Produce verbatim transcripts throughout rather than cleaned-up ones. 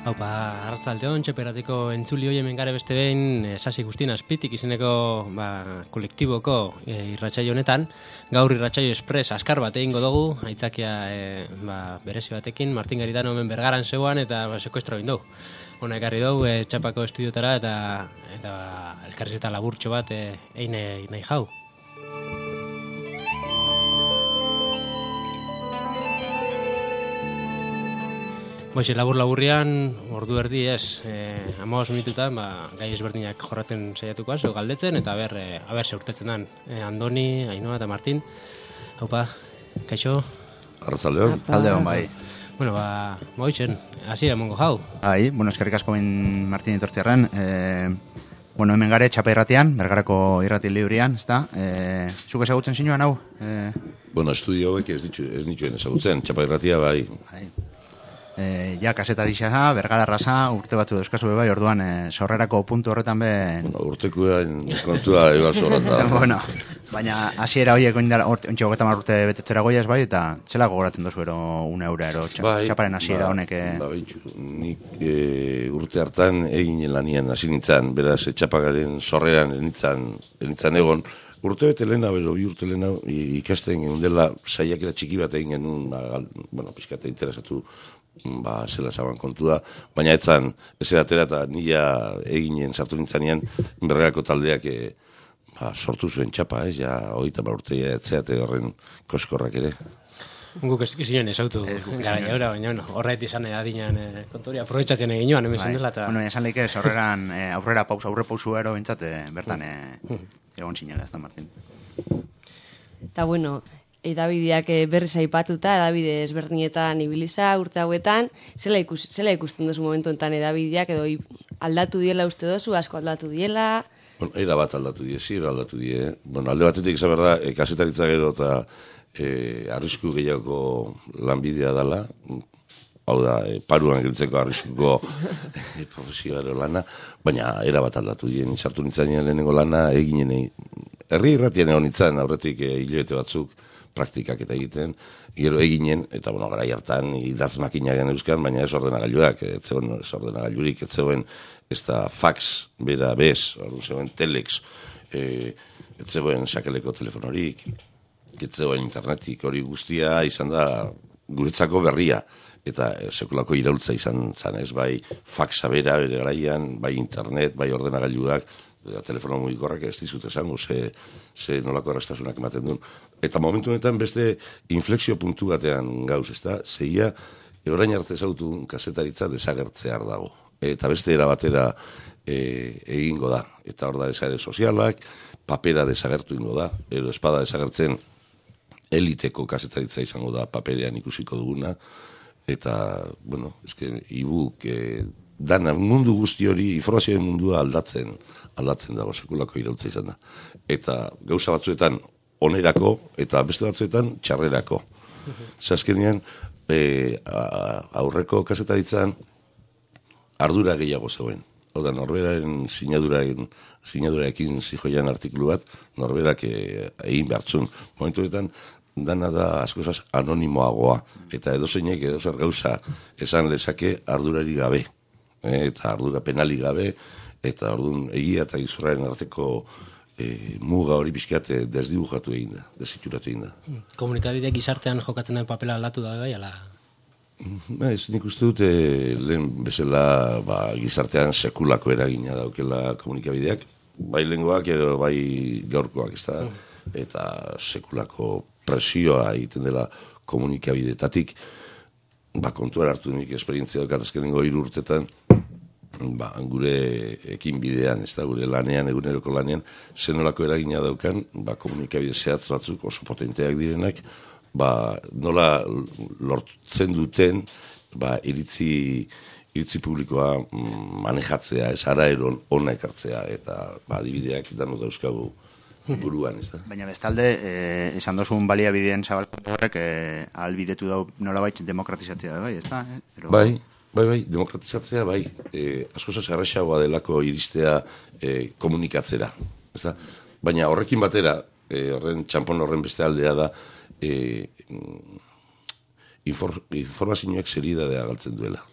Haupa, arratzaldeon, txeperatiko entzuli hoi hemen gare beste behin, e, Sasi Guztin Azpitik izeneko ba, kolektiboko e, irratsaio honetan. Gaur irratsaio espres askar bat egingo dugu, aitzakia e, ba, berezi batekin, Martin Garitano hemen bergaran zeuan eta ba, sekuestro egin dugu. Hona ekarri dugu, e, txapako estudiotara eta, eta elkarrizketa laburtxo bat e, egin nahi jau. Boixe, labur-laburrian, ordu erdi ez, eh, hamabost minututan, ba, gai ezberdinak jorratzen saiatuko azo, galdetzen, eta aber, eh, aber seurtetzen dan. Eh, Andoni, Ainhoa eta Martin. Haupa, kaixo? Arratzaldeon. Arratzaldeon, bai. Bueno, ba, boixen, hasiera mongo jau. Bai, bueno, eskerrik asko ben Martin etortziarren. Eh, bueno, hemen gare txapa irratian, bergarako irrati librian, ezta? Eh, zuk ezagutzen zinuan hau? Eh, bueno, estudio hauek ez ditu, ez nituen ezagutzen, txapa irratia bai. Bai. E, ja, kasetari xasa, bergara raza, urte batzu dauzkazu bai, orduan e, sorrerako puntu horretan ben... Bueno, urtekoen kontua egal sorrata. Bueno, baina hasiera horiek ondara, ontsi hogeta mar urte betetzera goiaz bai, eta txela gogoratzen dozu ero una eura, ero bai, txaparen hasiera ba, honek... E... Ba, bitxu, nik e, urte hartan egin lanian hasi nintzen, beraz, e, txapagaren sorreran enitzan, enitzan egon, urte bete lehena, bero, bi urte lehena ikasten genuen dela, saiakera txiki bat egin genuen, ba, bueno, pixkate interesatu, ba, zela zaban kontua, baina etzan, ez edatera eta nila eginen sartu nintzanean, berregako taldeak e, ba, sortu zuen txapa, ez, ja, hogeita mar urtea etzeate horren koskorrak ere. Guk ez gizinen ez autu, gara jaura, baina bueno, horret izan adinean e, kontori aprobetsatzen egin joan, hemen bai. zendela eta... Bueno, esan leike, horreran e, aurrera pausa, aurre pausu ero bintzate, bertan e, egon sinela, ez da, Martin. Eta bueno, edabideak berriz aipatuta, edabide ezberdinetan ibiliza urte hauetan, zela, ikus, zela ikusten duzu momentu enten edabideak, edo aldatu diela uste dozu, asko aldatu diela... Bueno, era bat aldatu die, zira aldatu die. Bueno, alde batetik izan behar da, e, kasetaritza gero eta e, arrisku gehiago lanbidea dela, hau da, e, paruan giltzeko arriskuko e, profesioaro lana, baina era bat aldatu die, sartu nintzanean lehenengo lana, eginen, herri irratien egon nintzen, aurretik e, hilabete batzuk, praktikak eta egiten, gero eginen, eta bueno, gara hartan idatz makinagen euskan, baina ez ordenagailuak, ez zegoen ez ordenagailurik, ez zegoen ez da fax, bera bez, orduan zegoen telex, e, ez zegoen sakeleko telefonorik, ez zegoen internetik, hori guztia izan da guretzako berria, eta e, sekulako iraultza izan zan ez, bai faxa bera, bere garaian, bai internet, bai ordenagailuak, telefono mugikorrak ez dizut esango, ze, ze nolako errastasunak ematen duen. Eta momentu honetan beste inflexio puntu batean gauz, ez da? Zeia, orain arte zautu kasetaritza desagertzear dago. Eta beste era batera e, egingo da. Eta hor da esare sozialak, papera desagertu ingo da. Ero espada desagertzen eliteko kasetaritza izango da paperean ikusiko duguna. Eta, bueno, eske, e-book, e, dana, mundu guzti hori, informazioen mundua aldatzen, aldatzen dago, sekulako irautza izan da. Eta gauza batzuetan onerako, eta beste batzuetan txarrerako. Zazkenean, e, aurreko kasetaritzan ardura gehiago zegoen. Hau da, norberaren sinaduraekin, sinaduraekin zijoian artikulu bat, norberak e, egin behartzun. Momentu horretan, dana da askozaz anonimoagoa, eta edozeinek edozer gauza esan lezake ardurari gabe. Eta ardura penali gabe, eta orduan egia eta gizurraren arteko e, muga hori pixkat desdibujatu egin da, desitxuratu egin da. Komunikabideak gizartean jokatzen den papela aldatu da gai, ala? Ez, nik uste dut, e, lehen bezala ba, gizartean sekulako eragina daukela komunikabideak, bai lehengoak, ero bai gaurkoak, ez da, eta sekulako presioa egiten dela komunikabidetatik, ba, kontuan hartu nik esperientzia daukat azkenengo hiru urtetan, ba, gure ekin bidean, ez da, gure lanean, eguneroko lanean, zenolako eragina daukan, ba, komunikabide zehatz batzuk oso potenteak direnak, ba, nola lortzen duten, ba, iritzi, iritzi publikoa manejatzea, ez ara eron ona ekartzea, eta, ba, adibideak dano dauzkagu buruan, ez da. Baina bestalde, eh, esan dozun baliabideen zabalkatu horrek eh, albidetu dau nolabait demokratizatzea, bai, ez da? Eh? Pero... Bai, bai, bai, demokratizatzea, bai, eh, askoz errazagoa delako iristea eh, komunikatzera, ez da? Baina horrekin batera, eh, horren txampon horren beste aldea da, eh, infor, informazioak zeridadea galtzen duela.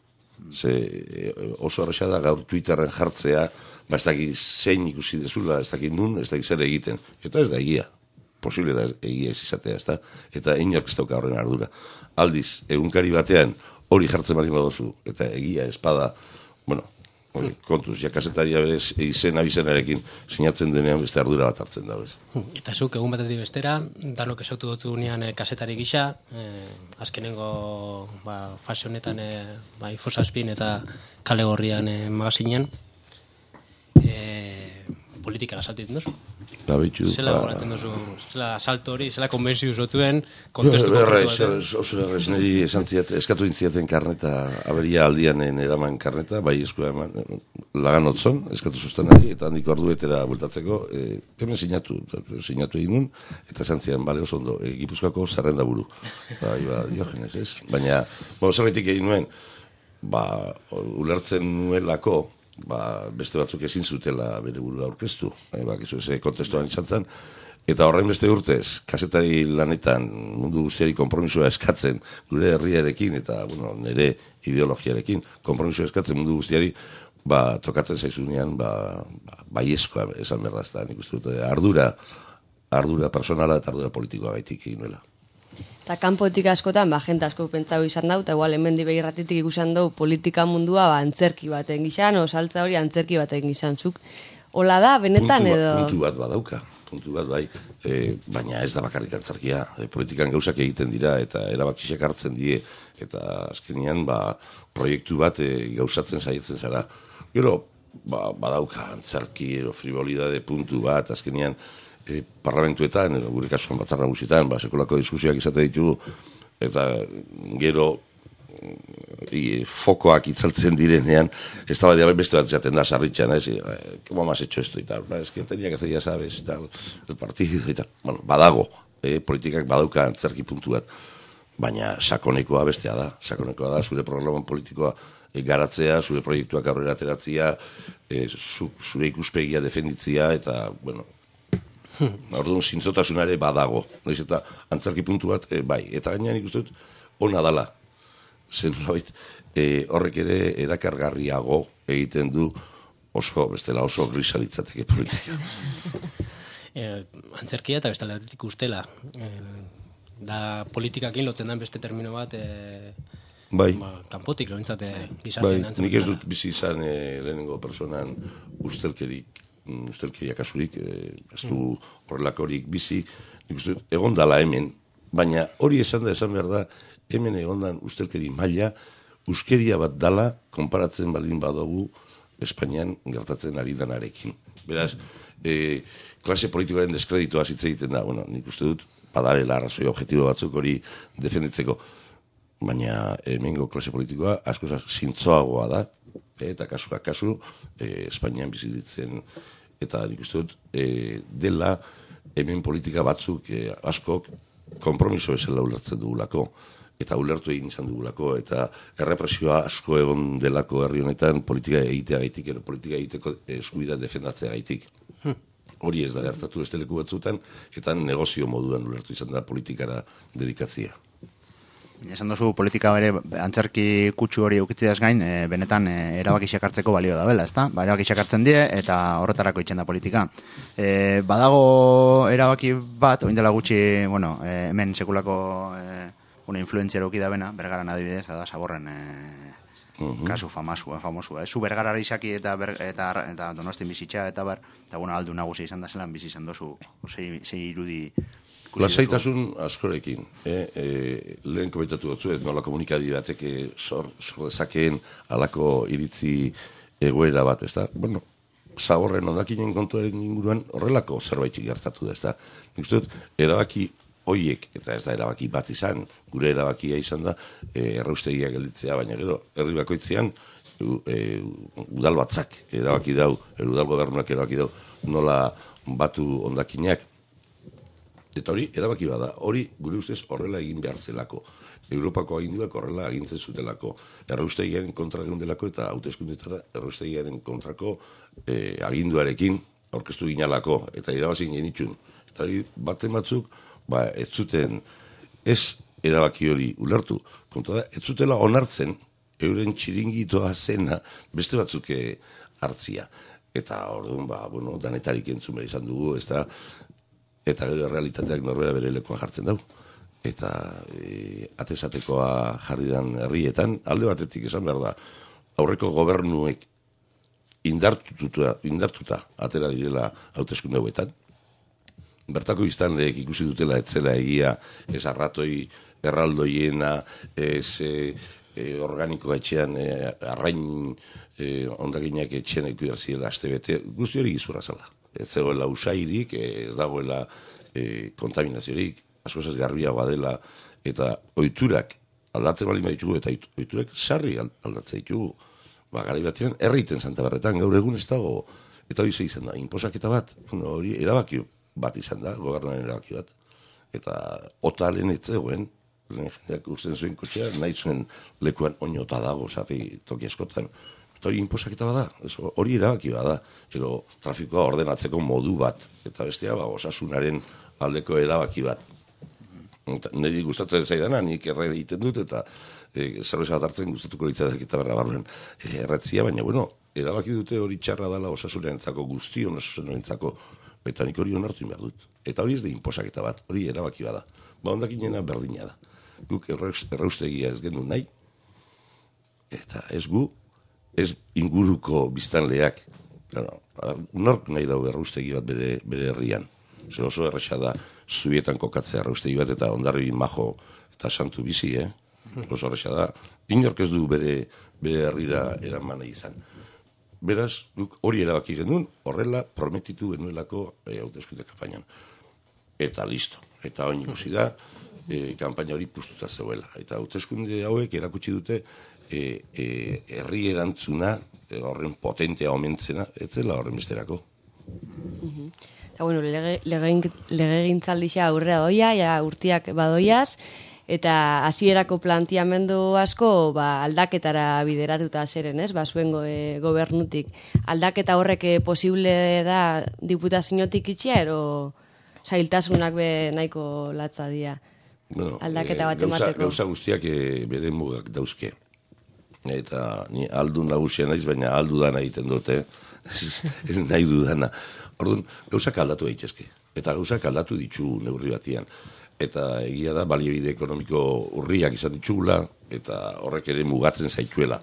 Ze oso arresa da gaur Twitterren jartzea, ba ez dakit zein ikusi dezula, ez dakit nun, ez dakit zer egiten. Eta ez da egia. Posible da egia ez izatea, ez da? Eta inork ez dauka horren ardura. Aldiz, egunkari batean hori jartzen bali badozu, eta egia espada, bueno, hori, kontuz, ja kasetaria berez izen abizenarekin sinatzen denean beste ardura bat hartzen da, bez. Eta zuk, egun batetik bestera, danok esautu dutzu gunean eh, kasetari gisa, eh, azkenengo ba, fase honetan eh, ba, Infosazpin eta Kale Gorrian eh, magazinean, eh, politikara saltu ditu duzu. Ba, bitxu, zela ba... goratzen duzu, zela salto hori, zela konbentziu zotuen, kontestu konkretu batean. Oso errez, niri esan ziat, eskatu intziaten karneta, aberia aldian eraman karneta, bai eskua eman, lagan otzon, eskatu sustenari, eta handiko arduetera bultatzeko, e, hemen sinatu, sinatu egin nun, eta esan zian, bale oso ondo, e, Gipuzkoako zerrenda buru. Bai, ba, diogenes, ez? Baina, bueno, zerretik egin nuen, ba, ulertzen nuelako, ba, beste batzuk ezin zutela bere burua aurkeztu, e, ba, kizu eze kontestuan izan zen, eta horrein beste urtez, kasetari lanetan mundu guztiari konpromisoa eskatzen, gure herriarekin, eta, bueno, nire ideologiarekin, konpromisoa eskatzen mundu guztiari, ba, tokatzen zaizunean, ba, ba baiezkoa esan behar da, ez da, nik uste dut, ardura, ardura personala eta ardura politikoa gaitik egin nuela. Eta kanpotik askotan, ba, jente asko pentsau izan dau, eta igual hemen dibe irratitik ikusan dau politika mundua ba, antzerki baten gizan, o saltza hori antzerki baten gizan zuk. Ola da, benetan puntu, edo... Puntu bat badauka, puntu bat bai, e, baina ez da bakarrik antzerkia, e, politikan gauzak egiten dira, eta erabakisak hartzen die, eta azkenean, ba, proiektu bat e, gauzatzen saietzen zara. Gero, ba, badauka antzerki, ero frivolidade puntu bat, azkenean, E, parlamentuetan, gure kasuan batzar nagusietan, ba, sekolako diskusioak izate ditugu, eta gero e, fokoak itzaltzen direnean, ez da badia beste bat zaten da, sarritxan, ez, e, como más hecho esto, eta, ba, ez que tenia que hacer, ya sabes, eta, el partido, eta, bueno, badago, e, politikak badauka antzerki puntu bat, baina sakonekoa bestea da, sakonekoa da, zure programa politikoa e, garatzea, zure proiektuak aurrera ateratzea, e, zu, zure ikuspegia defenditzea, eta, bueno, orduan zintzotasunare badago, noiz eta antzerki puntu bat, e, bai, eta gainean ikusten dut, ona dala, zen nolabait, e, horrek ere erakargarriago egiten du oso, bestela oso grisalitzateke politika. eh, antzerkia eta bestela batetik ustela, eh, da politikakin lotzen den beste termino bat, eh, bai. Ba, kanpotik loentzate Bai, gizaten antzerkia. nik ez dut bizi izan e, lehenengo personan ustelkerik, ustelkeria kasurik, eh, ez du horrelakorik bizi, nik uste dut, egon dala hemen, baina hori esan da, esan behar da, hemen egondan ustelkeri maila, uskeria bat dala, konparatzen baldin badugu, Espainian gertatzen ari danarekin. Beraz, e, klase politikoaren deskreditoa hitz egiten da, bueno, nik uste dut, badarela arrazoi objektibo batzuk hori defenditzeko, baina hemengo klase politikoa asko zintzoagoa da, eta kasuak kasu, e, Espainian bizitzen, eta nik uste dut, e, dela hemen politika batzuk e, askok konpromiso bezala ulertzen dugulako, eta ulertu egin izan dugulako, eta errepresioa asko egon delako herri honetan politika egitea gaitik, ero politika egiteko eskubidea defendatzea gaitik. Hmm. Hori ez da gertatu beste leku batzutan, eta negozio moduan ulertu izan da politikara dedikatzea. Esan duzu politika bere antzerki kutsu hori eukitziaz gain, e, benetan e, erabakiak hartzeko balio da bela, ezta? Ba, erabakiak hartzen die eta horretarako itzen da politika. E, badago erabaki bat, oin dela gutxi, bueno, e, hemen sekulako e, una influenziara uki da bena, Bergaran adibidez, da Saborren e, uh-huh. kasu famasua, famosua. Zu Bergarara izaki eta, ber, eta, eta Donostin bizitza eta bar, eta bueno, aldu nagusia izan da zelan bizi izan dozu, zei, zei irudi. Lasaitasun askorekin, eh? e, lehen komentatu dut, nola komunikadi batek sor, sor dezakeen alako iritzi egoera bat, ez da? Bueno, Zaborren ondakinen kontuaren inguruan horrelako zerbait gertatu da, ez da? Nik uste dut, erabaki hoiek, eta ez da erabaki bat izan, gure erabakia izan da, e, erraustegia gelditzea, baina gero, herri bakoitzean, e, udal batzak erabaki dau, udal gobernuak erabaki dau, nola batu ondakinak. Eta hori, erabaki bada, hori gure ustez horrela egin behar zelako. Europako aginduak horrela agintzen zutelako. Erraustegiaren kontra egun delako eta hauteskundetara erraustegiaren kontrako eh, aginduarekin aurkeztu ginalako eta irabazin genitxun. Eta hori, baten batzuk, ba, ez zuten ez erabaki hori ulertu. Kontua da, ez zutela onartzen euren txiringitoa zena beste batzuk hartzia. Eta orduan, ba, bueno, danetarik entzun behar izan dugu, ez da, eta gero realitateak norbera bere lekuan jartzen dugu. Eta e, atesatekoa jarri dan herrietan, alde batetik esan behar da, aurreko gobernuek indartuta, indartuta atera direla hauteskunde hauetan. Bertako biztanleek ikusi dutela etzela egia, ez arratoi erraldoiena, ez e, e, organiko etxean, e, arrain e, ondakinak etxean ikuidar ziela aste bete, guzti hori gizurra zala. Ez zegoela usairik, ez dagoela e, kontaminaziorik, asko ez garbiagoa dela, eta oiturak aldatzen bali ditugu, eta oiturak sarri aldatzen ditugu. Ba, garai batean, herriten Santa Berretan, gaur egun ez dago, eta hori ze izan da, inposaketa bat, bueno, hori erabaki bat izan da, gobernuaren erabaki bat. Eta otalen ez zegoen, jendeak urtzen zuen kotxea, nahi zuen lekuan oinota dago, sarri toki askotan. Eta hori inposaketa bat da, hori erabaki bat da, edo trafikoa ordenatzeko modu bat, eta bestea, ba, osasunaren aldeko erabaki bat. Niri gustatzen zaidana, nik erre egiten dut, eta e, zerbeza bat hartzen gustatuko litzatek eta berra barruen e, erretzia, baina, bueno, erabaki dute hori txarra dela osasunarentzako, guztion osasunarentzako, eta nik hori onartu behar dut. Eta hori ez da inposaketa bat, hori erabaki bada. Ba, ondakinena berdina da. Guk erraustegia ez genuen nahi, eta ez gu, ez inguruko biztanleak, claro, nork nahi dago erraustegi bat bere, bere herrian. Zer oso erresa da zubietan kokatzea erraustegi bat eta ondarri majo eta santu bizi, eh? Oso erresa da. Inork ez du bere, bere herrira eraman nahi izan. Beraz, guk hori erabaki genuen, horrela prometitu genuelako e, hauteskunde kanpainan. Eta listo. Eta oin ikusi da, e, kanpaina hori puztuta zegoela. Eta hauteskunde hauek erakutsi dute e, e, herri erantzuna, e, horren potentea omentzena, ez zela horren besterako. Uh-huh. Eta, bueno, lege, lege, lege gintzaldisa aurrera doia, ja urtiak badoiaz, eta hasierako planteamendu asko ba, aldaketara bideratuta zeren, ez? Ba, zuen go, e, gobernutik. Aldaketa horrek posible da diputaziotik itxia, ero zailtasunak be nahiko latza dira. Bueno, aldaketa bat e, gauza, emateko. Gauza guztiak e, bere mugak dauzke. Eta ni aldu nagusia naiz, baina aldu dana egiten dute. Ez, ez nahi dudana. Orduan, gauzak aldatu daitezke. Eta gauzak aldatu ditu neurri batian. Eta egia da, baliabide ekonomiko urriak izan ditugula, eta horrek ere mugatzen zaituela.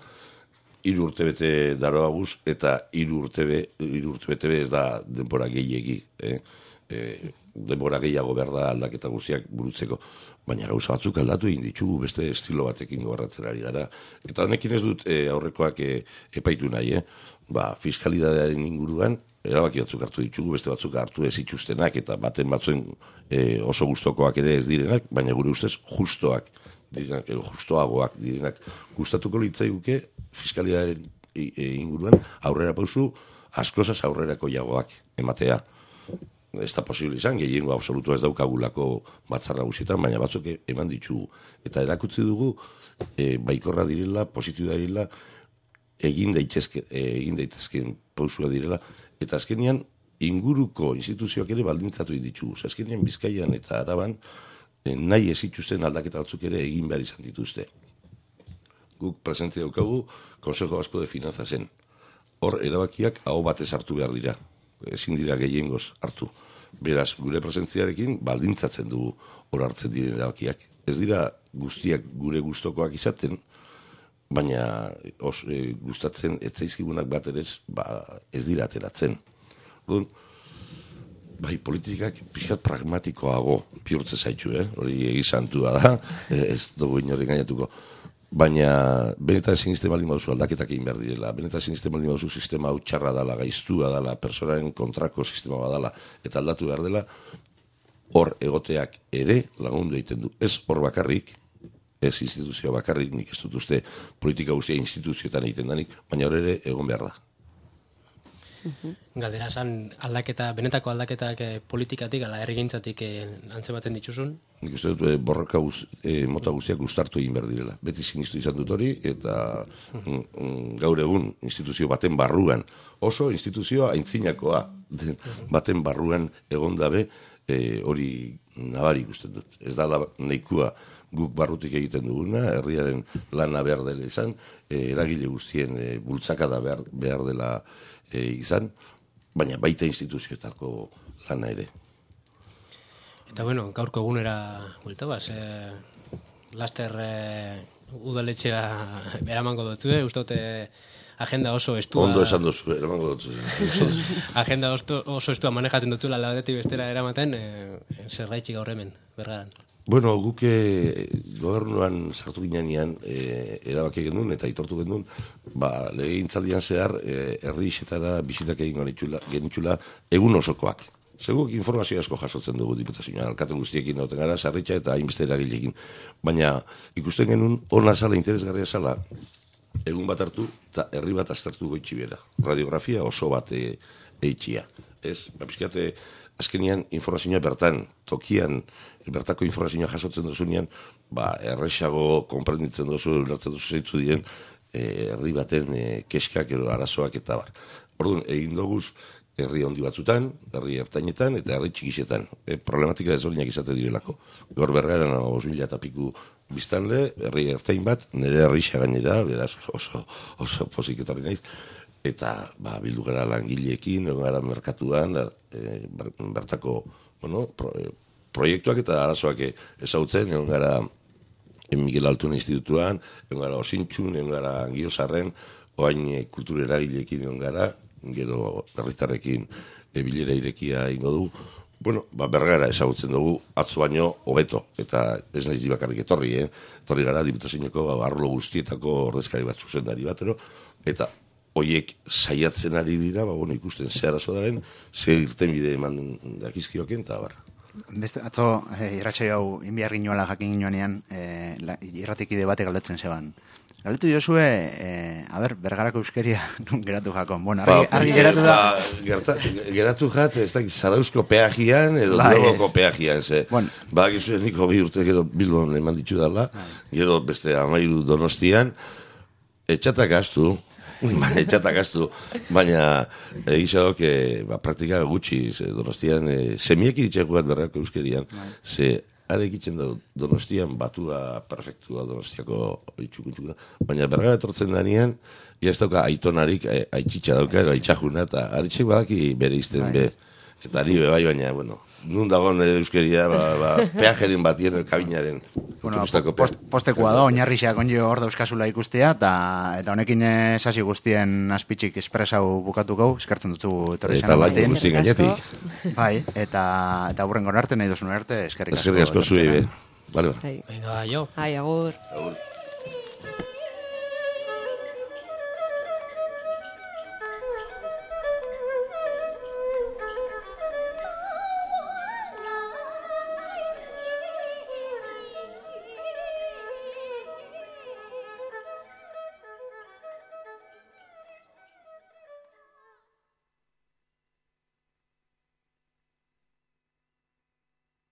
Hiru urte bete daroa guz, eta hiru urte be, hiru urte bete be ez da denbora gehiegi. Eh? E, denbora gehiago behar da aldaketa guztiak burutzeko. Baina gauza batzuk aldatu egin ditugu, beste estilo batekin gobernatzen ari gara. Eta honekin ez dut e, aurrekoak e, epaitu nahi, eh? Ba, fiskalidadearen inguruan, erabaki batzuk hartu ditugu, beste batzuk hartu ez itxustenak, eta baten batzuen e, oso gustokoak ere ez direnak, baina gure ustez justoak direnak, edo justoagoak direnak. Gustatuko litzaiguke fiskalidadearen e, e, inguruan aurrera pausu, askozaz aurrerako jagoak ematea. Ez da posible izan, gehiengo absolutua ez daukagulako batzar nagusietan, baina batzuk eman ditugu. Eta erakutsi dugu, e, baikorra direla, positiua direla, egin daitezke, e, egin daitezken pausua direla, eta azkenean inguruko instituzioak ere baldintzatu ditugu. Azkenean Bizkaian eta Araban e, nahi ez ituzten aldaketa batzuk ere egin behar izan dituzte. Guk presentzia daukagu Consejo Vasco de Finanza zen. Hor erabakiak aho batez hartu behar dira. Ezin dira gehiengoz hartu. Beraz, gure presentziarekin baldintzatzen dugu hor hartzen diren erabakiak. Ez dira guztiak gure gustokoak izaten, baina os, e, gustatzen etzaizkigunak bat ere ba, ez dira ateratzen. Orduan, bai, politikak pixkat pragmatikoago bihurtzen zaitu, eh? Hori egizantua da, ez dugu inoren gainatuko. Baina benetan sinisten baldin baduzu aldaketak egin behar direla, benetan sinisten baldin baduzu sistema hau txarra dala, gaiztua dala, personaren kontrako sistema badala, eta aldatu behar dela, hor egoteak ere lagundu egiten du. Ez hor bakarrik, ez instituzio bakarrik, nik ez dut uste politika guztia instituzioetan egiten danik, baina hor ere egon behar da. Galdera esan aldaketa, benetako aldaketak eh, politikatik, ala herrigintzatik eh, antzematen dituzun? Nik uste dut eh, borroka guz, eh, mota guztiak gustartu egin behar direla. Beti sinistu izan dut hori, eta mm, mm, gaur egun instituzio baten barruan, oso instituzio aintzinakoa baten barruan egon dabe, eh, hori nabari ikusten dut. Ez da nahikoa guk barrutik egiten duguna, herriaren lana behar dela izan, e, eragile guztien e, bultzakada behar, behar dela e, izan, baina baita instituzioetako lana ere. Eta bueno, gaurko egunera buelta baz, e, laster e, udaletxera eramango dutzu, e, uste dute agenda oso estua... Ondo esan dozu, eramango dutzu. Agenda oso, oso estua manejatzen dutzula labetetik bestera eramaten, e, zerraitxik gaur hemen, bergaran. Bueno, guk e, gobernuan sartu ginean e, erabaki genuen eta aitortu genuen, ba, legegintzaldian zehar e, herri isetara bisitak egin genitxula egun osokoak. Seguk informazio asko jasotzen dugu diputazioan, alkate guztiekin dauten gara, sarritxa eta hainbeste eragilekin. Baina ikusten genuen, ona zala, interesgarria zala, egun bat hartu eta herri bat aztertu goitxi bera. Radiografia oso bat e, eitxia. Ez, bapiskate, azkenian informazioa bertan, tokian, bertako informazioa jasotzen duzunean, ba, erresago konprenditzen duzu, ulertzen duzu zeitu diren, e, herri baten e, keskak edo arazoak eta bar. Orduan, egin doguz, herri handi batzutan, herri ertainetan eta herri txikisetan. E, problematika desberdinak izate direlako. Gaur berrean os mila eta piku biztanle, herri ertain bat, nire herrixa gainera, beraz oso, oso pozik etorri naiz, eta ba, bildu gara langileekin, egon gara merkatuan, e, bertako bueno, pro, e, proiektuak eta arazoak ezagutzen, egon gara Miguel Altuna Institutuan, egon gara Osintxun, egon gara Angiozarren, oain e, kultura eragileekin egon gara, gero herritarrekin e, bilera irekia ingo du. Bueno, ba, bergara ezagutzen dugu atzo baino hobeto, eta ez nahi bakarrik etorri, eh? Etorri gara diputazioeko ba, arlo guztietako ordezkari bat zuzendari batero, eta hoiek saiatzen ari dira, ba, bueno, ikusten ze arazo daren, ze irten bide eman dakizkioken, eta bar. Beste, atzo, eh, irratxai hau, inbiar ginoela jakin ginoanean, eh, irratikide bate galdetzen zeban. Galdetu jozue, eh, a ber, bergarako euskeria nun geratu jakon. Bueno, argi, ba, argi geratu da... Ba, gerta, geratu jat, ez da, Zarauzko peajian, edo Bai, Bilboko peajian, ze. Bueno. Ba, gizu, niko bi urte gero Bilbon eman ditu dala, gero beste amairu Donostian, etxatak astu, etxatak astu, baina egizadok, e, ba, praktika gutxi, ze, Donostian, e, semiek iritxeko bat bergarako euskerian, ze, arek itzen da Donostian batua perfektua Donostiako itxukuntxukuna, baina bergara etortzen danean, ja ez dauka aitonarik, aitxitxa dauka, aitxajuna, eta aritxek badaki bere izten be, eta ari be bai, baina, bueno, nun dagoen euskeria, ba, ba, peajeren batien, kabinaren, bueno, post, postekoa da, oinarrixak onjo hor dauzkazula ikustea, eta, eta honekin sasi guztien azpitxik espresau bukatuko, eskertzen dutzu etorri izan batin. Guzti gainetik. Bai, eta, eta hurren gonarte, nahi duzun arte, eskerrik asko. Eskerrik asko zui, be. Vale, Venga, jo. Ai, agur. Agur.